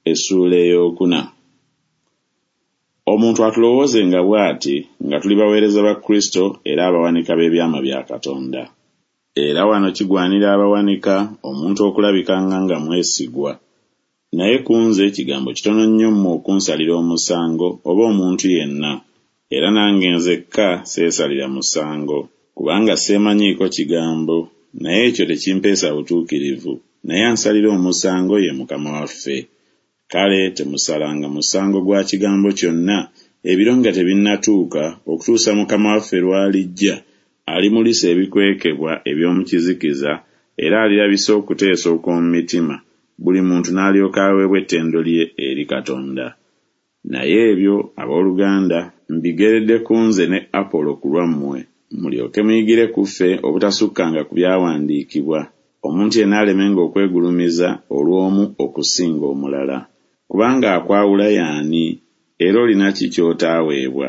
Essuula ey'okuna. Omuntu atulowoozenga bw'ati, nga tuli baweereza ba Kristo era abawanika b'ebyama bya Katonda. Era wano kigwanira abawanika, omuntu okulabikanga nga mwesigwa. Naye ku nze kigambo kitono nnyo mmwe okunsalira omusango, oba omuntu yenna, era nange nzekka seesalira musango. Kubanga seemanyiiko kigambo, naye ekyo tekimpeesa butuukirivu, naye ansalira omusango ye Mukama waffe. Kale temusalanga musango gwa kigambo kyonna, ebiro nga tebinnatuuka, okutuusa Mukama waffe lw'alijja, alimulisa ebikwekebwa eby'omu kizikiza, era alirabisa okuteesa okw'omu mitima, buli muntu n'alyoka aweebwa ettendo lye eri Katonda. Naye ebyo, abooluganda, mbigeredde ku nze ne Apolo ku lwammwe, mulyoke muyigire ku ffe obutasukkanga ku byawandiikibwa, omuntu yenna alemenga okwegulumiza olw'omu okusinga omulala. Kubanga akwawula y'ani? Era olina ki ky'otaaweebwa?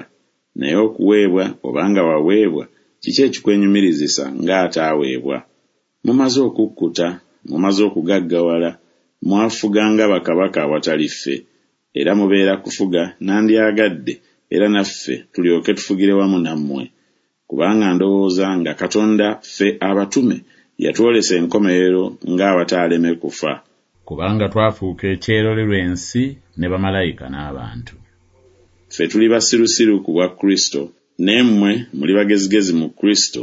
Naye okuweebwa oba nga waweebwa, kiki ekikwenyumirizisa ng'ataaweebwa? Mumaze okukkuta, mumaze okugaggawala, mwafuga nga bakabaka awatali ffe, era mubeera kufuga, nandyagadde era naffe tulyoke tufugire wamu nammwe. Kubanga ndowooza nga Katonda ffe abatume yatwolesa enkomerero ng'abataaleme kufa. Kubanga twafuuka ekyerolerwa ensi ne bamalayika n'abantu. Ffe tuli basirusiru ku bwa Kristo, naye mmwe muli bagezigezi mu Kristo,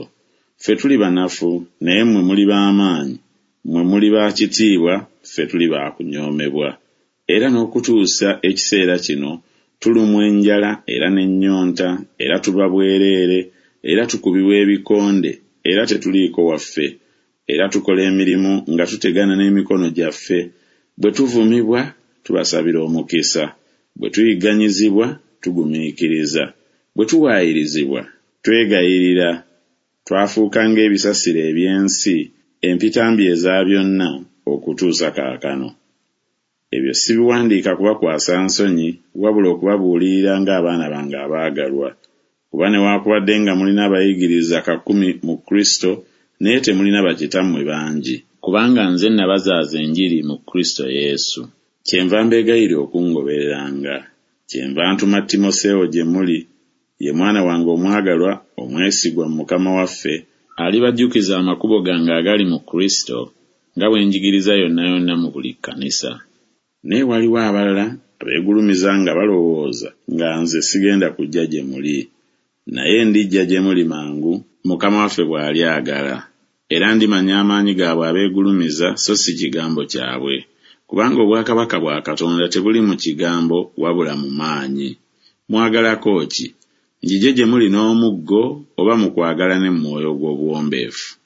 ffe tuli banafu, naye mmwe muli ba maanyi, mmwe muli ba kitiibwa, ffe tuli ba kunyoomebwa. Era n'okutuusa ekiseera kino tulumwa enjala era n'ennyonta, era tuba bwereere, era tukubibwa ebikonde, era tetuliiko waffe, era tukola emirimu nga tutegana n'emikono gyaffe, bwe tuvumibwa, tubasabira omukisa, bwe tuyigganyizibwa, tugumiikiriza, bwe tuwaayirizibwa, twegayirira, twafuuka ng'ebisasiro eby'ensi, empitambi eza byonna, okutuusa kaakano. Ebyo sibiwandiika kubakwasa nsonyi, wabula okubabuulirira ng'abaana bange abaagalwa. Kuba newaakubadde nga mulina abayigiriza kakumi mu Kristo, naye temulina bakitammwe bangi. Kubanga nze nabazaaza enjiri mu Kristo Yesu. Kyenva mbeegayirira okungobereranga. Kyenva ntuma Timoseewo gye muli, ye mwana wange omwagalwa, omwesigwa mu Mukama waffe, alibajjukiza amakubo gange agali mu Kristo, nga bwe njigiriza yonna yonna mu buli kkanisa. Naye waliwo abalala abeegulumiza nga balowooza nga nze sigenda kujja gye muli. Naye ndijja gye muli mangu, Mukama waffe bw'alyagala, era ndimanya amaanyi gaabwe abeegulumiza so si kigambo kyabwe. Kubanga obwakabaka bwa Katonda tebuli mu kigambo wabula mu maanyi. Mwagalako ki? Njije gye muli n'omuggo oba mu kwagala ne mu mwoyo ogw'obuwombeefu?